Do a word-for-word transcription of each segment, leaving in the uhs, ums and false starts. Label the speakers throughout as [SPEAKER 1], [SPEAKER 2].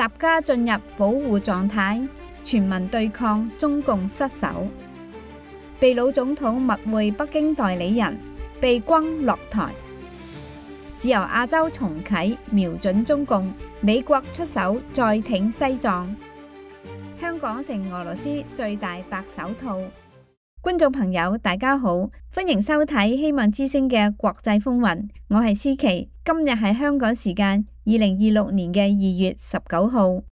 [SPEAKER 1] 習家進入保護狀態，全民對抗中共失守。秘魯總統密會北京代理人，被轟落台。自由亞洲重啟，瞄準中共，美國出手再挺西藏。香港成俄羅斯最大白手套。觀眾朋友大家好，歡迎收睇希望之聲嘅國際風雲，我係思琪。今日係香港時間二零二六年嘅二月十九號。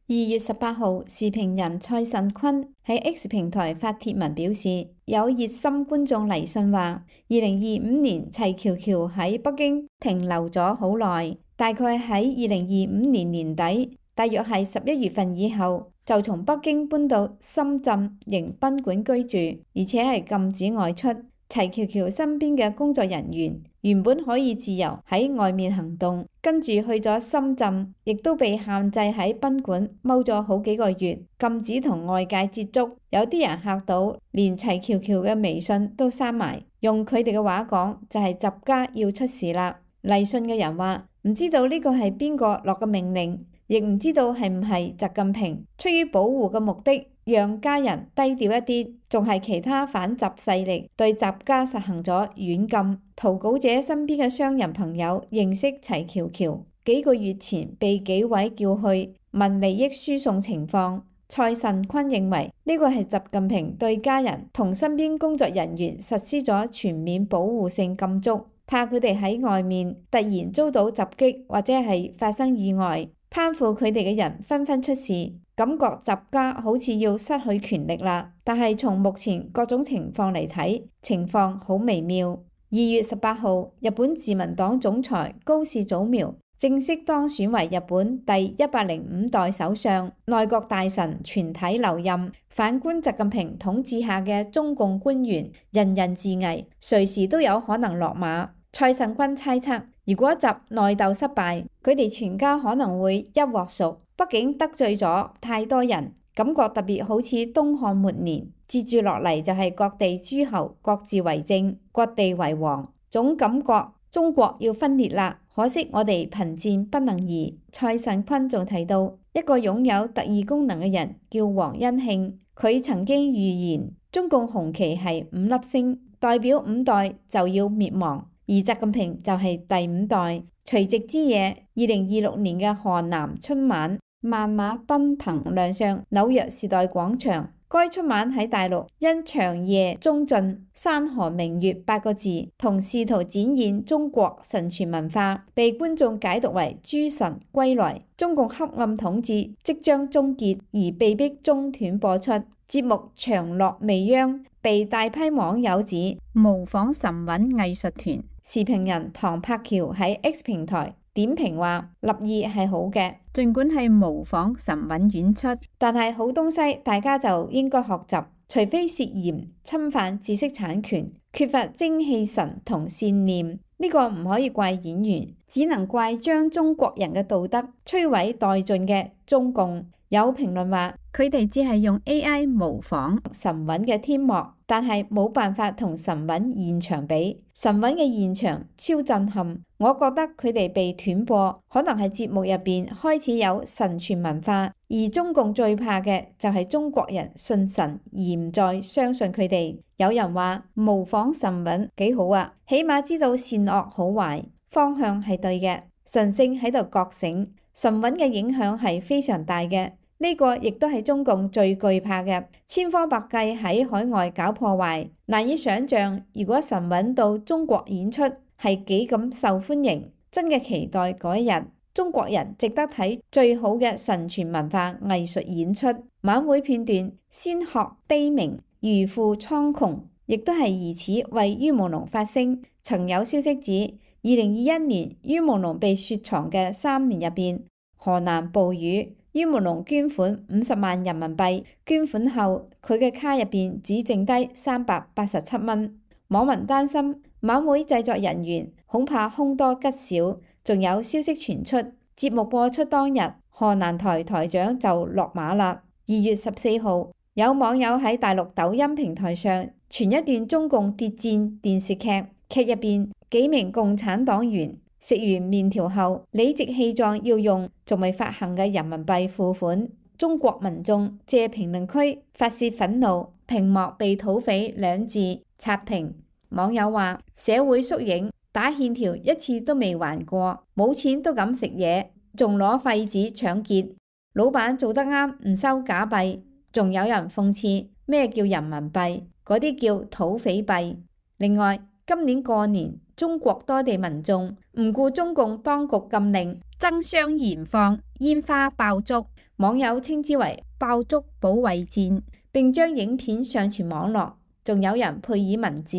[SPEAKER 1] 二月十八號，時評人蔡慎坤喺 X 平台發帖文表示，有熱心觀眾嚟信話，二零二五年齊喬喬喺北京停留咗好耐，大概喺二零二五年年底，大約係十一月份以後，就從北京搬到深圳迎賓館居住，而且係禁止外出。齊喬喬身邊嘅工作人員原本可以自由喺外面行動，跟住去咗深圳，亦都被限制喺賓館踎咗好幾個月，禁止同外界接觸。有啲人嚇到，連齊喬喬嘅微信都刪埋。用佢哋嘅話講，就係習家要出事啦。嚟信嘅人話，唔知道呢個係邊個落嘅命令，亦唔知道係唔係習近平出於保護嘅目的，讓家人低調一啲，仲係其他反習勢力對習家實行咗軟禁。投稿者身邊嘅商人朋友認識齊喬喬，幾個月前被紀委叫去問利益輸送情況。蔡慎坤認為呢個係習近平對家人同身邊工作人員實施咗全面保護性禁足，怕佢哋喺外面突然遭到襲擊或者係發生意外。攀附佢哋嘅人紛紛出事，感覺習家好似要失去權力啦。但係從目前各種情況嚟睇，情況好微妙。二月十八號，日本自民黨總裁高市早苗正式當選為日本第一百零五代首相，內閣大臣全體留任。反觀習近平統治下嘅中共官員，人人自危，隨時都有可能落馬。蔡慎坤猜測，如果習內鬥失敗，佢哋全家可能會一鑊熟。畢竟得罪咗太多人，感覺特別好似東漢末年。接住落嚟就係各地諸侯各自為政，各地為王，總感覺中國要分裂啦。可惜我哋貧賤不能移。蔡慎坤仲提到一個擁有特異功能嘅人叫黃恩慶，佢曾經預言中共紅旗係五粒星，代表五代就要滅亡。而習近平就係第五代。除夕之夜，二零二六年嘅河南春晚，萬馬奔騰亮相紐約時代廣場。該春晚喺大陸因長夜中盡、山河明月八個字同試圖展現中國神傳文化，被觀眾解讀為諸神歸來，中共黑暗統治即將終結，而被迫中斷播出。節目長落未央，被大批網友指模仿神韻藝術團。時評人唐柏橋喺 X 平台點評話，立意係好嘅，儘管係模仿神韻演出，但係好東西大家就應該學習，除非涉嫌侵犯知識產權，缺乏精氣神同善念，呢個唔可以怪演員，只能怪將中國人嘅道德摧毀殆盡嘅中共。有評論話，佢哋只係用 A I 模仿神韻嘅天幕，但係冇辦法同神韻現場比。神韻嘅現場超震撼，我覺得佢哋被斷播，可能係節目入邊開始有神傳文化，而中共最怕嘅就係中國人信神而唔再相信佢哋。有人話模仿神韻幾好啊，起碼知道善惡好壞，方向係對嘅，神聖喺度覺醒。神韻嘅影響係非常大嘅，呢個亦都係中共最懼怕嘅，千方百計喺海外搞破壞。難以想象，如果神韻到中國演出係幾咁受歡迎，真嘅期待嗰一日，中國人值得睇最好嘅神傳文化藝術演出。晚會片段先學悲鳴，如負蒼穹，亦都係疑似為于朦朧發聲。曾有消息指，二零二一年于朦朧被雪藏嘅三年入邊，河南暴雨，于朦朧捐款五十萬人民幣，捐款後佢嘅卡入邊只剩低三百八十七蚊。網民擔心晚會製作人員恐怕凶多吉少，仲有消息傳出，節目播出當日，河南台台長就落馬啦。二月十四號，有網友喺大陸抖音平台上傳一段中共諜戰電視劇，劇入邊幾名共產黨員食完麵條後，理直氣壯要用仲未發行嘅人民幣付款。中國民眾借評論區發洩憤怒，屏幕被土匪兩字刷屏。網友話：社會縮影，打欠條一次都未還過，冇錢都敢食嘢，仲攞廢紙搶劫。老闆做得啱，唔收假幣。仲有人諷刺咩叫人民幣，嗰啲叫土匪幣。另外，今年過年，中國多地民眾唔顧中共當局禁令，爭相燃放煙花爆竹，網友稱之為爆竹保衛戰，並將影片上傳網絡。仲有人配以文字，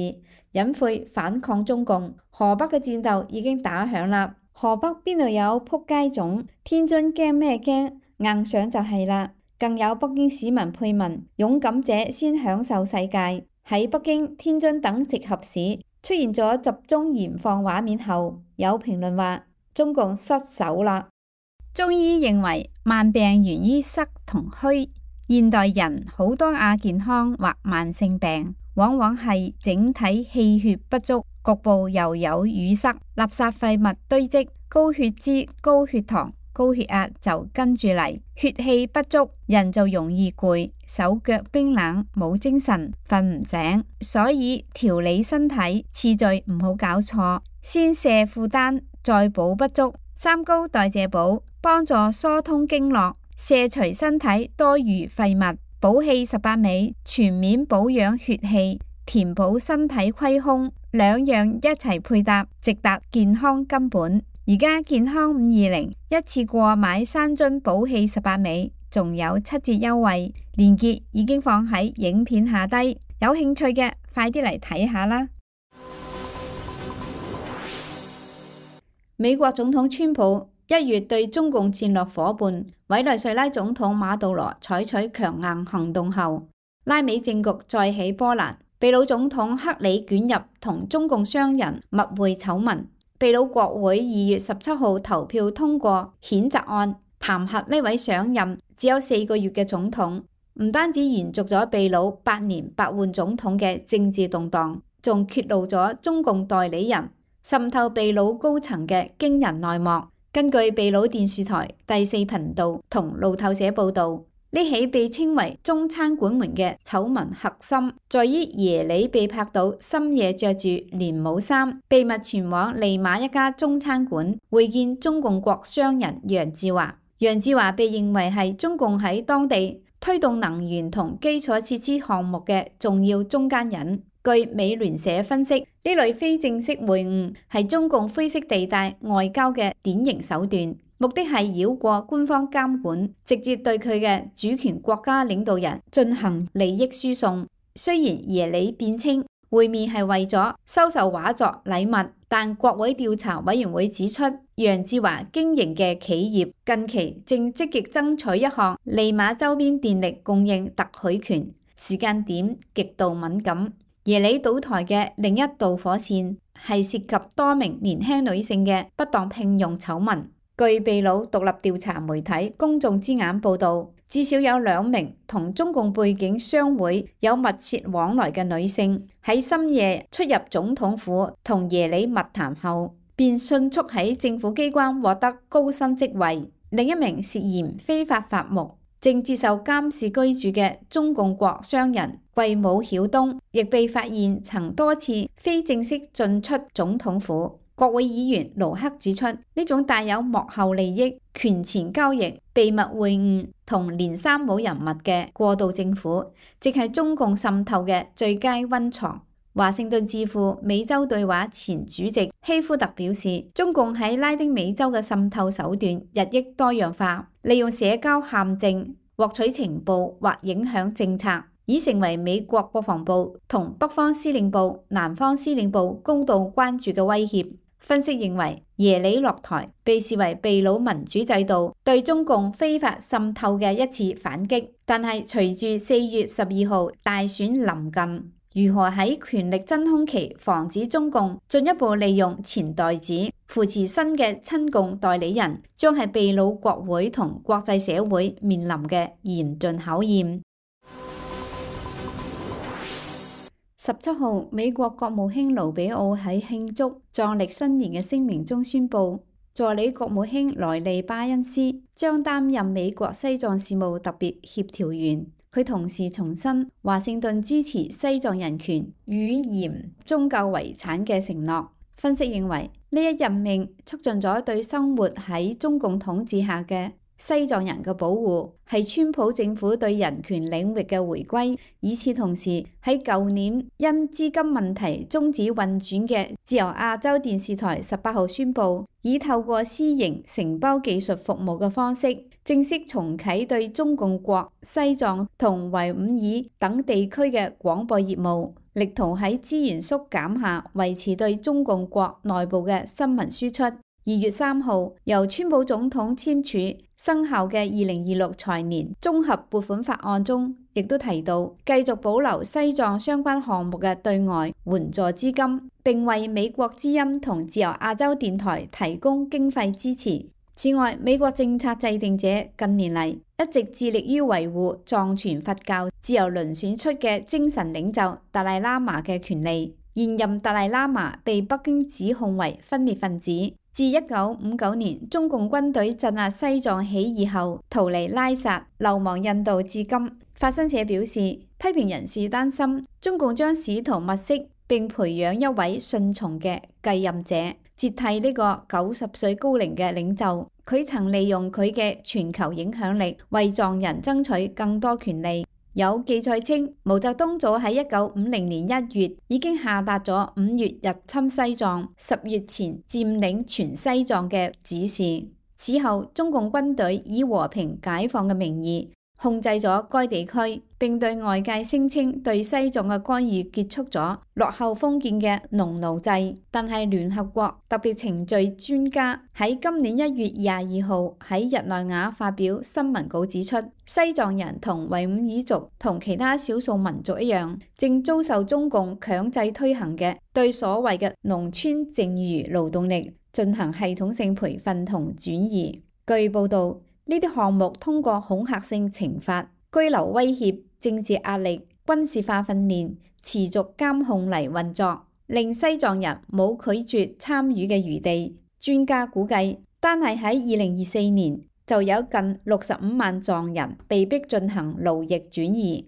[SPEAKER 1] 隱晦反抗中共。河北嘅戰鬥已經打響啦，河北邊度有撲街種？天津驚咩驚？硬上就係啦。更有北京市民配文：勇敢者先享受世界。喺北京、天津等直轄市出現咗集中燃放畫面後，有評論話中共失手啦。中醫認為慢病源於濕同虛，現代人好多亞健康或慢性病，往往係整體氣血不足，局部又有淤塞、垃圾廢物堆積，高血脂、高血糖、高血壓就跟住嚟，血氣不足，人就容易攰，手腳冰冷，冇精神，瞓唔醒。所以調理身體次序唔好搞錯，先卸負擔，再補不足。三高代謝補幫助疏通經絡，卸除身體多餘廢物。補氣十八味全面保養血氣，填補身體虧空，兩樣一齊配搭，直達健康根本。而家健康五二零一次過買三樽補氣十八味，仲有七折優惠，鏈接已經放喺影片下低，有興趣嘅快啲嚟睇下啦。美國總統川普一月對中共戰略夥伴委內瑞拉總統馬杜羅採取強硬行動後，拉美政局再起波瀾，秘魯總統克里捲入同中共商人密會醜聞。秘魯國會二月十七號投票通過譴責案，彈劾呢位上任只有四個月嘅總統，唔單止延續咗秘魯八年八換總統嘅政治動盪，仲揭露咗中共代理人滲透秘魯高層嘅驚人內幕。根據秘魯電視台第四頻道同路透社報道，呢起被稱為中餐館門嘅醜聞核心，在於耶里被拍到深夜着住連帽衫，秘密前往利馬一家中餐館會見中共國商人楊志華。楊志華被認為係中共喺當地推動能源同基礎設施項目嘅重要中間人。據美聯社分析，呢類非正式會晤係中共灰色地帶外交嘅典型手段，目的係繞過官方監管，直接對佢嘅主權國家領導人進行利益輸送。雖然耶里辯稱會面係為咗收受畫作禮物，但國會調查委員會指出，楊志華經營嘅企業近期正積極爭取一項利馬周邊電力供應特許權，時間點極度敏感。耶里倒台嘅另一導火線係涉及多名年輕女性嘅不當聘用醜聞。據秘魯獨立調查媒體公眾之眼報道，至少有兩名同中共背景商會有密切往來嘅女性喺深夜出入總統府同耶里密談後，便迅速喺政府機關獲得高薪職位。另一名涉嫌非法伐木，正接受監視居住嘅中共國商人桂武曉東，亦被發現曾多次非正式進出總統府。國會議員盧克指出，呢種帶有幕後利益、權錢交易、秘密會晤同連三冇人物嘅過渡政府，即係中共滲透嘅最佳溫床。華盛頓智庫美洲對話前主席希夫特表示，中共喺拉丁美洲嘅滲透手段日益多樣化，利用社交陷阱獲取情報或影響政策，已成為美國國防部同北方司令部、南方司令部高度關注嘅威脅。分析認為，耶里落台被視為秘魯民主制度對中共非法滲透嘅一次反擊，但係隨住四月十二號大選臨近，如何喺權力真空期防止中共進一步利用錢袋子扶持新嘅親共代理人，將係秘魯國會同國際社會面臨嘅嚴峻考驗。十七號，美國國務卿盧比奧喺慶祝藏曆新年嘅聲明中宣布，助理國務卿萊利巴恩斯將擔任美國西藏事務特別協調員。佢同時重申華盛頓支持西藏人權、語言、宗教遺產嘅承諾。分析認為，呢一任命促進咗對生活喺中共統治下嘅西藏人嘅保護，係川普政府對人權領域嘅回歸。與此同時，喺舊年因資金問題終止運轉嘅自由亞洲電視台十八號宣布，以透過私營承包技術服務嘅方式，正式重啟對中共國西藏同維吾爾等地區嘅廣播業務，力圖喺資源縮減下維持對中共國內部嘅新聞輸出。二月三號，由川普總統簽署生效嘅二零二六財年綜合撥款法案中，亦都提到繼續保留西藏相關項目嘅對外援助資金，並為美國之音同自由亞洲電台提供經費支持。此外，美國政策制定者近年嚟一直致力於維護藏傳佛教自由輪選出嘅精神領袖達賴喇嘛嘅權利。現任達賴喇嘛被北京指控為分裂分子。自一九五九年中共軍隊鎮壓西藏起義後逃離拉薩，流亡印度至今。法新社表示，批評人士擔心中共將試圖物色並培養一位順從嘅繼任者，接替呢個九十歲高齡嘅領袖。佢曾利用佢嘅全球影響力為藏人爭取更多權利。有記載稱，毛澤東早喺一九五零年一月已經下達咗五月入侵西藏、十月前佔領全西藏嘅指示。此後，中共軍隊以和平解放嘅名義控制咗該地區，並對外界聲稱對西藏嘅干預結束咗落後封建嘅農奴制。但係聯合國特別程序專家喺今年一月廿二號喺日內瓦發表新聞稿指出，西藏人同維吾爾族同其他少數民族一樣，正遭受中共強制推行嘅對所謂嘅農村剩餘勞動力進行系統性培訓同轉移。據報導，呢啲項目通過恐嚇性懲罰、居留威脅、政治壓力、軍事化訓練、持續監控嚟運作，令西藏人冇拒絕參與嘅餘地。專家估計，單係喺二零二四年就有近六十五萬藏人被迫進行勞役轉移。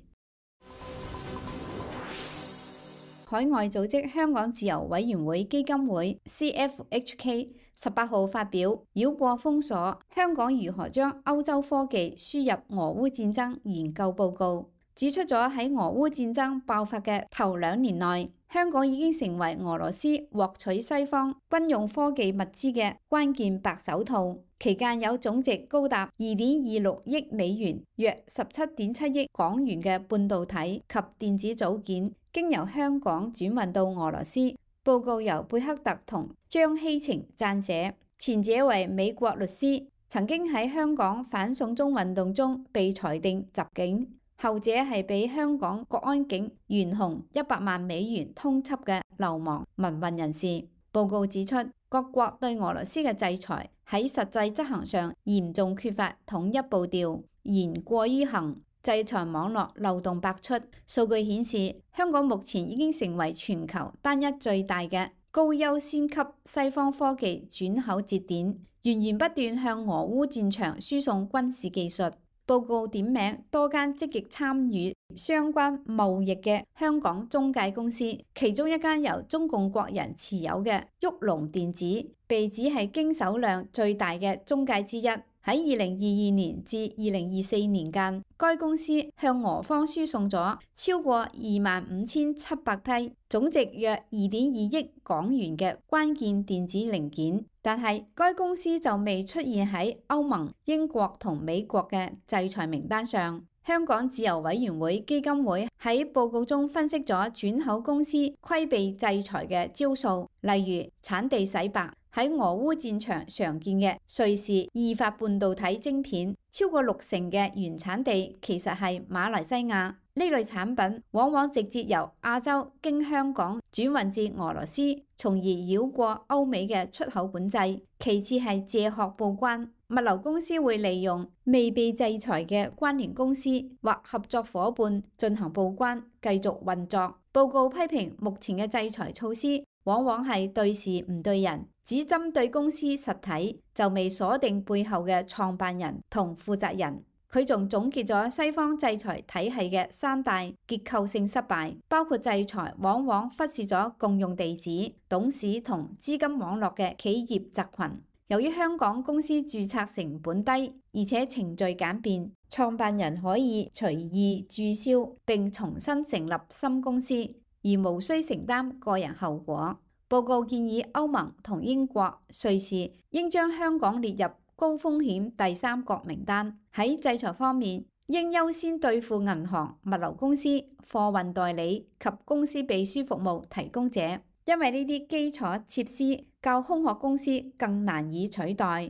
[SPEAKER 1] 海外組織香港自由委員會基金會 C F H K 十八號發表繞過封鎖，香港如何將歐洲科技輸入俄烏戰爭研究報告，指出咗喺俄烏戰爭爆發嘅頭兩年內，香港已經成為俄羅斯獲取西方軍用科技物資嘅關鍵白手套。期間有總值高達二點二六億美元，約十七點七億港元嘅半導體及電子組件，經由香港轉運到俄羅斯。報告由貝克特同張希晴撰寫，前者為美國律師，曾經喺香港反送中運動中被裁定襲警，後者係被香港國安警懸紅一百萬美元通緝嘅流亡民運人士。報告指出，各國對俄羅斯嘅制裁喺實際執行上嚴重缺乏統一步調，言過於行，制裁網絡漏洞百出。數據顯示，香港目前已經成為全球單一最大嘅高優先級西方科技轉口節點，源源不斷向俄烏戰場輸送軍事技術。報告點名多間積極參與相關貿易嘅香港中介公司，其中一間由中共國人持有嘅旭龍電子，被指係經手量最大嘅中介之一。喺二零二二年至二零二四年間，該公司向俄方輸送咗超過二萬五千七百批，總值約二點二億港元嘅關鍵電子零件。但係該公司就未出現喺歐盟、英國同美國嘅制裁名單上。香港自由委員會基金會喺報告中分析咗轉口公司規避制裁嘅招數，例如產地洗白。喺俄烏戰場常見嘅瑞士意法半導體晶片，超過六成嘅原產地其實係馬來西亞。呢類產品往往直接由亞洲經香港轉運至俄羅斯，從而繞過歐美嘅出口管制。其次係借殼報關。物流公司會利用未被制裁嘅關聯公司或合作夥伴進行報關，繼續運作。報告批評目前嘅制裁措施往往係對事唔對人，只針對公司實體，就未鎖定背後嘅創辦人同負責人。佢仲總結咗西方制裁體系嘅三大結構性失敗，包括制裁往往忽視咗共用地址、董事同資金網絡嘅企業集群。由於香港公司註冊成本低，而且程序簡便，創辦人可以隨意註銷並重新成立新公司，而無需承擔個人後果。報告建議歐盟同英國、瑞士應將香港列入高風險第三國名單。喺制裁方面，應優先對付銀行、物流公司、貨運代理及公司秘書服務提供者，因為呢啲基礎設施較空殼公司更難以取代。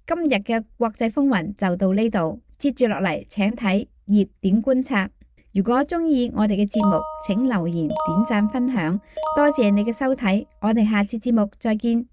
[SPEAKER 1] 今日嘅國際風雲就到呢度，接住落嚟請睇熱點觀察。如果中意我哋嘅節目，請留言、點讚、分享，多謝你嘅收睇，我哋下次節目再見。